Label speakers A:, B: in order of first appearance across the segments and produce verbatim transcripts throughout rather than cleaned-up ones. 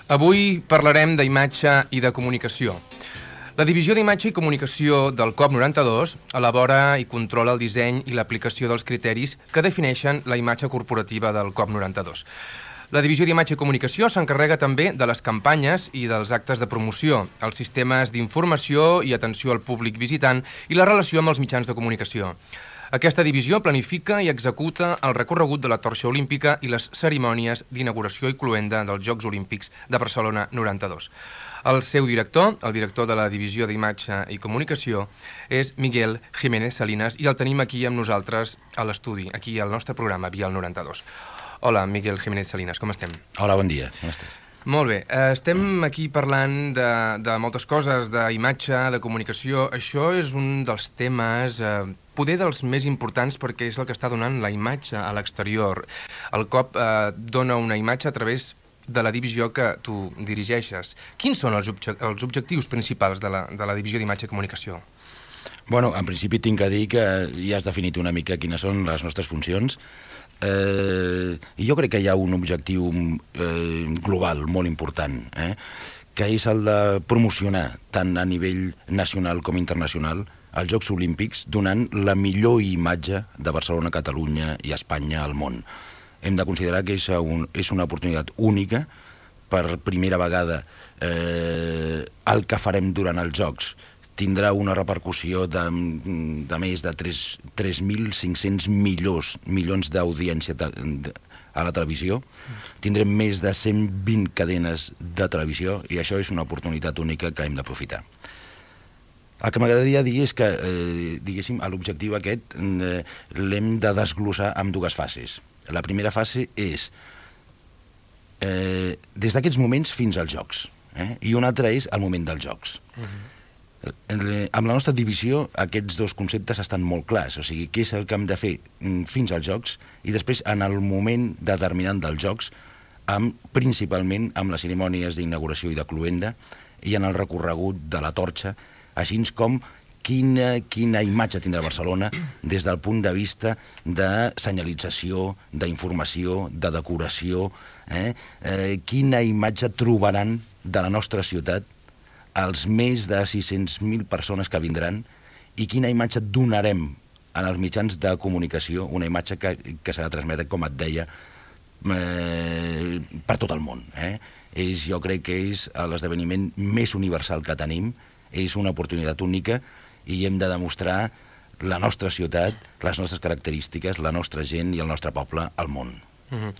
A: Avui parlarem d'imatge i de comunicació. La Divisió d'Imatge i Comunicació del C O P noranta-dos elabora i controla el disseny i l'aplicació dels criteris que defineixen la imatge corporativa del C O P noranta-dos. La Divisió d'Imatge i Comunicació s'encarrega també de les campanyes i dels actes de promoció, els sistemes d'informació i atenció al públic visitant i la relació amb els mitjans de comunicació. Aquesta divisió planifica i executa el recorregut de la torxa olímpica i les cerimònies d'inauguració i cloenda dels Jocs Olímpics de Barcelona noranta-dos. El seu director, el director de la Divisió d'Imatge i Comunicació, és Miguel Jiménez Salinas i el tenim aquí amb nosaltres a l'estudi, aquí al nostre programa, Vial noranta-dos. Hola, Miguel Jiménez Salinas, com estem?
B: Hola, bon dia, com estàs?
A: Molt bé, estem aquí parlant de, de moltes coses, d'imatge, de comunicació. Això és un dels temes, eh, poder dels més importants perquè és el que està donant la imatge a l'exterior. El C O P eh, dona una imatge a través de la divisió que tu dirigeixes. Quins són els, obje els objectius principals de la, de la Divisió d'Imatge i Comunicació?
B: Bueno, en principi tinc que dir que ja has definit una mica quines són les nostres funcions. Eh, I jo crec que hi ha un objectiu eh, global molt important, eh, que és el de promocionar tant a nivell nacional com internacional els Jocs Olímpics, donant la millor imatge de Barcelona, Catalunya i Espanya al món. Hem de considerar que és, un, és una oportunitat única. Per primera vegada eh, el que farem durant els Jocs tindrà una repercussió de, de més de tres mil cinc-cents milions, milions d'audiència a la televisió. Tindrem més de cent vint cadenes de televisió i això és una oportunitat única que hem d'aprofitar. El que m'agradaria dir és que, eh, diguéssim, l'objectiu aquest eh, l'hem de desglossar en dues fases. La primera fase és eh, des d'aquests moments fins als Jocs, eh? I una altra és el moment dels Jocs. Uh-huh. Amb la nostra divisió aquests dos conceptes estan molt clars, o sigui, què és el que hem de fer fins als Jocs i després en el moment determinant dels Jocs, amb, principalment amb les cerimònies d'inauguració i de cloenda i en el recorregut de la torxa, així com quina, quina imatge tindrà Barcelona des del punt de vista de senyalització, d'informació, de decoració, eh? Eh, quina imatge trobaran de la nostra ciutat els més de sis-cents mil persones que vindran i quina imatge donarem en els mitjans de comunicació, una imatge que, que serà transmesa, com et deia, eh, per tot el món. Eh? És, jo crec que és l'esdeveniment més universal que tenim, és una oportunitat única i hem de demostrar la nostra ciutat, les nostres característiques, la nostra gent i el nostre poble al món.
A: Mm-hmm.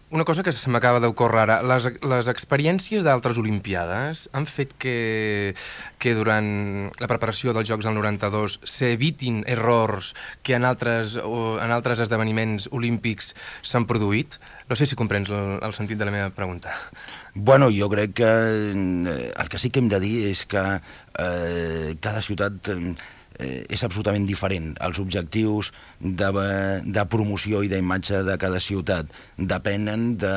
A: Una cosa que se m'acaba d'ocórrer ara, les, les experiències d'altres Olimpiades han fet que, que durant la preparació dels Jocs del noranta-dos s'evitin errors que en altres, en altres esdeveniments olímpics s'han produït? No sé si comprens el, el sentit de la meva pregunta.
B: Bueno, jo crec que el que sí que hem de dir és que eh, cada ciutat eh, és absolutament diferent. Els objectius de, de promoció i d'imatge de cada ciutat depenen de,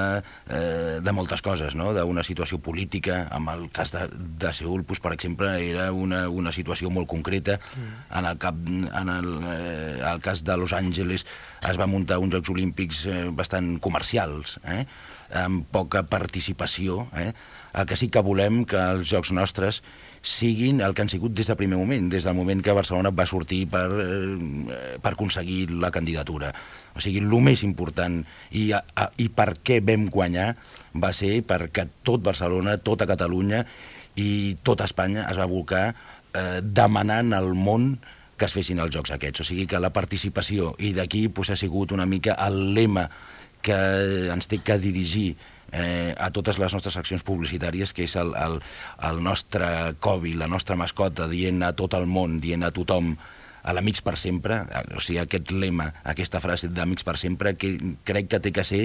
B: eh, de moltes coses, no? D'una situació política. En el cas de, de Seül, doncs, per exemple, era una, una situació molt concreta. Mm. En, el cap, en el, eh, el cas de Los Angeles es va muntar uns Jocs Olímpics eh, bastant comercials, eh? Amb poca participació. Eh? El que sí que volem que els Jocs nostres siguin el que han sigut des del primer moment, des del moment que Barcelona va sortir per, eh, per aconseguir la candidatura. O sigui, el més important i, a, i per què vam guanyar va ser perquè tot Barcelona, tota Catalunya i tota Espanya es va volcar eh, demanant al món que es fessin els Jocs aquests. O sigui que la participació, i d'aquí pues, ha sigut una mica el lema que ens té que dirigir Eh, a totes les nostres accions publicitàries, que és el, el, el nostre Covi, la nostra mascota, dient a tot el món, dient a tothom a l'amics per sempre, o sigui, aquest lema, aquesta frase d'amics per sempre, que crec que té que ser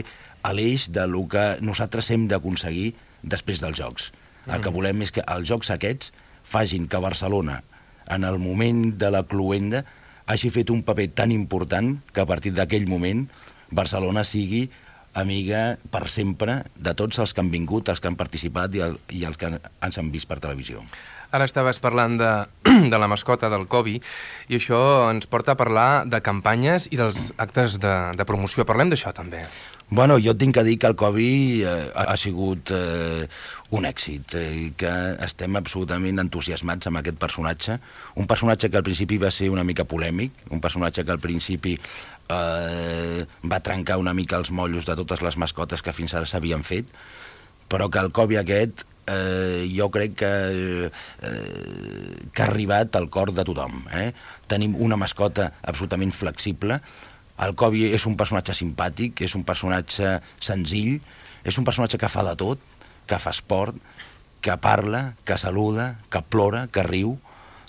B: l'eix del que nosaltres hem d'aconseguir després dels Jocs. Mm-hmm. El que volem és que els Jocs aquests facin que Barcelona, en el moment de la cloenda, hagi fet un paper tan important que a partir d'aquell moment Barcelona sigui amiga per sempre de tots els que han vingut, els que han participat i, el, i els que ens han vist per televisió.
A: Ara estaves parlant de, de la mascota del Covi i això ens porta a parlar de campanyes i dels actes de, de promoció. Parlem d'això també.
B: Bueno, jo tinc que dir que el Covid eh, ha sigut eh, un èxit, eh, que estem absolutament entusiasmats amb aquest personatge, un personatge que al principi va ser una mica polèmic, un personatge que al principi eh, va trencar una mica els mollos de totes les mascotes que fins ara s'havien fet, però que el Covid aquest eh, jo crec que, eh, que ha arribat al cor de tothom. Eh? Tenim una mascota absolutament flexible. El Covid és un personatge simpàtic, és un personatge senzill, és un personatge que fa de tot, que fa esport, que parla, que saluda, que plora, que riu.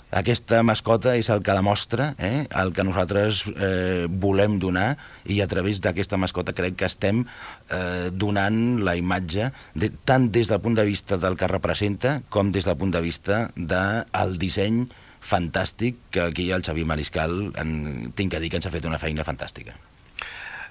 B: Aquesta mascota és el que demostra eh, el que nosaltres eh, volem donar, i a través d'aquesta mascota crec que estem eh, donant la imatge de, tant des del punt de vista del que representa com des del punt de vista del disseny fantàstic, que aquí el Xavier Mariscal en, tinc que dir que ens ha fet una feina fantàstica.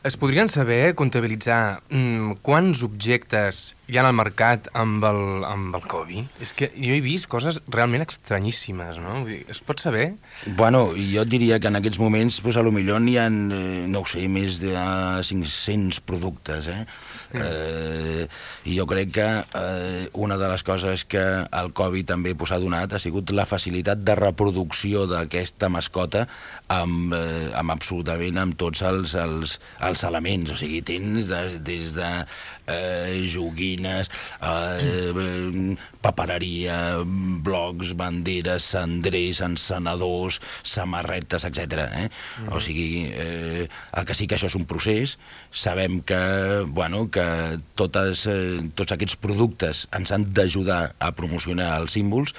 A: Es podrien saber, comptabilitzar, mmm, quants objectes hi ha al mercat amb el, amb el Covid? És que jo he vist coses realment estranyíssimes, no? Vull dir, es pot saber?
B: Bueno, jo diria que en aquests moments, pues, a lo millor n'hi ha, eh, no ho sé, més de cinc-cents productes, eh? Mm. eh? I jo crec que eh, una de les coses que el Covid també pues, ha donat ha sigut la facilitat de reproducció d'aquesta mascota amb, eh, amb absolutament amb tots els, els, els elements, o sigui, tens de, des de eh, joguines, eh, papereria, blocs, banderes, cendrers, encenedors, samarretes, etcètera. Eh? Mm-hmm. O sigui, eh, el que sí que això és un procés, sabem que, bueno, que totes, eh, tots aquests productes ens han d'ajudar a promocionar els símbols,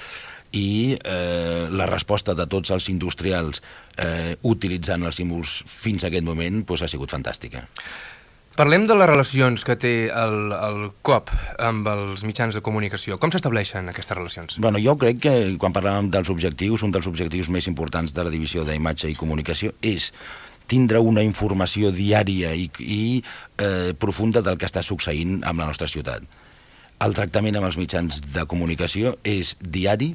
B: i eh, la resposta de tots els industrials eh, utilitzant els símbols fins a aquest moment pues, ha sigut fantàstica.
A: Parlem de les relacions que té el, el Coop amb els mitjans de comunicació. Com s'estableixen aquestes relacions?
B: Bueno, jo crec que quan parlàvem dels objectius, un dels objectius més importants de la divisió d'imatge i comunicació és tindre una informació diària i, i eh, profunda del que està succeint amb la nostra ciutat. El tractament amb els mitjans de comunicació és diari,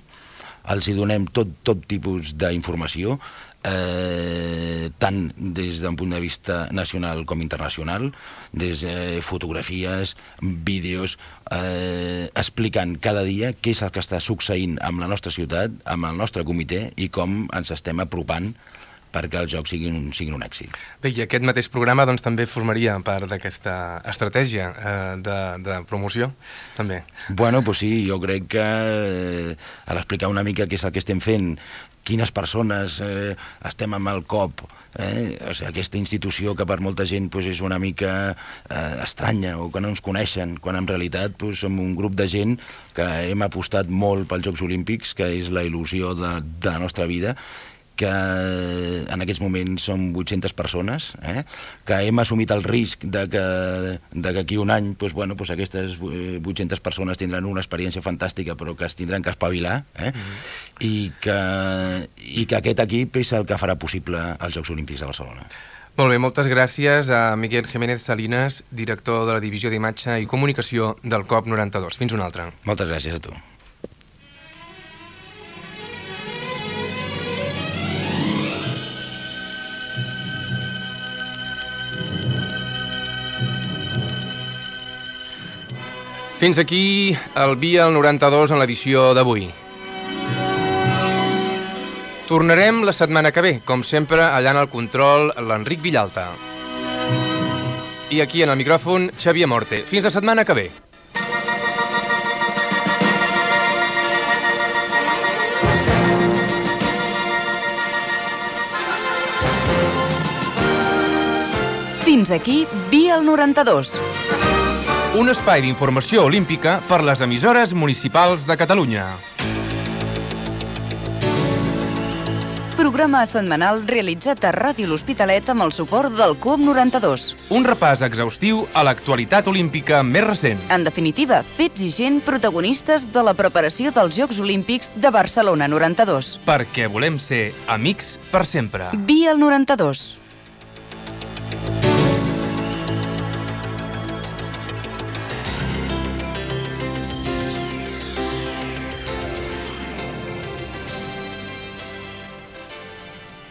B: els hi donem tot, tot tipus d'informació, eh, tant des d'un punt de vista nacional com internacional, des de eh, fotografies, vídeos, eh, explicant cada dia què és el que està succeint amb la nostra ciutat, amb el nostre comitè i com ens estem apropant perquè els jocs siguin un, siguin un èxit. Bé,
A: i aquest mateix programa doncs, també formaria part d'aquesta estratègia eh, de, de promoció, també.
B: Bueno, doncs sí, jo crec que eh, a l'explicar una mica què és el que estem fent, quines persones eh, estem amb el Coop, eh, o sigui, aquesta institució que per molta gent pues, és una mica eh, estranya o que no ens coneixen, quan en realitat pues, som un grup de gent que hem apostat molt pels Jocs Olímpics, que és la il·lusió de, de la nostra vida, que en aquests moments som vuit-centes persones, eh? que hem assumit el risc de que d'aquí un any doncs, bueno, doncs aquestes vuit-centes persones tindran una experiència fantàstica però que es tindran que espavilar, eh? mm-hmm. I, que, i que aquest equip és el que farà possible els Jocs Olímpics de Barcelona.
A: Molt bé, moltes gràcies a Miguel Jiménez Salinas, director de la Divisió d'Imatge i Comunicació del Coop noranta-dos. Fins una altra.
B: Moltes gràcies a tu.
A: Fins aquí el Via al noranta-dos en l'edició d'avui. Tornarem la setmana que ve, com sempre, allà en el control, l'Enric Villalta. I aquí en el micròfon, Xavier Morte. Fins la setmana que ve.
C: Fins aquí Via al noranta-dos.
A: Un espai d'informació olímpica per les emissores municipals de Catalunya.
C: Programa setmanal realitzat a Ràdio L'Hospitalet amb el suport del Coop noranta-dos.
A: Un repàs exhaustiu a l'actualitat olímpica més recent.
C: En definitiva, fets i gent protagonistes de la preparació dels Jocs Olímpics de Barcelona noranta-dos.
A: Perquè volem ser amics per sempre.
C: Via al noranta-dos.